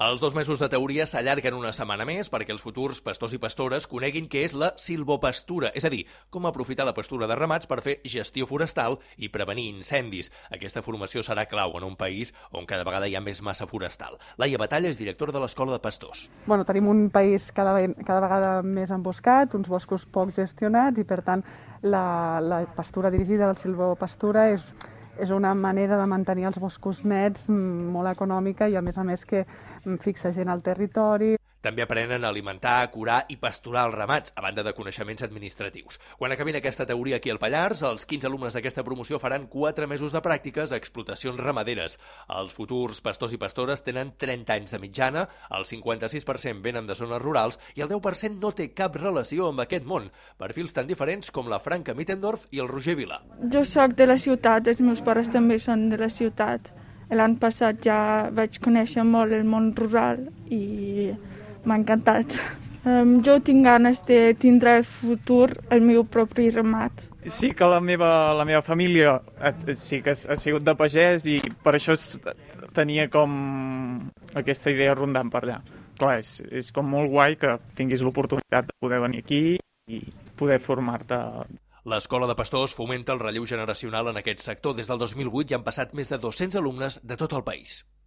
Els 2 mesos de teoria s'allarguen una setmana més perquè els futurs pastors i pastores coneguin què és la silvopastura, és a dir, com aprofitar la pastura de ramats per fer gestió forestal i prevenir incendis. Aquesta formació serà clau en un país on cada vegada hi ha més massa forestal. Laia Batalla és directora de l'Escola de Pastors. Tenim un país cada vegada més emboscat, uns boscos poc gestionats i, per tant, la pastura dirigida, la silvopastura, és una manera de mantenir els boscos nets molt econòmica i, a més, que fixa gent al territori. També aprenen a alimentar, curar i pasturar els ramats, a banda de coneixements administratius. Quan acabin aquesta teoria aquí al Pallars, els 15 alumnes d'aquesta promoció faran 4 mesos de pràctiques a explotacions ramaderes. Els futurs pastors i pastores tenen 30 anys de mitjana, el 56% venen de zones rurals i el 10% no té cap relació amb aquest món. Perfils tan diferents com la Franca Mittendorf i el Roger Vila. Jo soc de la ciutat, els meus pares també són de la ciutat. L'any passat ja vaig conèixer molt el món rural i m'ha encantat. Jo tinc ganes de tindre al futur el meu propi ramat. Sí que la meva família sí que ha sigut de pagès i per això tenia com aquesta idea rondant per allà. Clar, és com molt guai que tinguis l'oportunitat de poder venir aquí i poder formar-te. L'Escola de Pastors fomenta el relleu generacional en aquest sector. Des del 2008 hi han passat més de 200 alumnes de tot el país.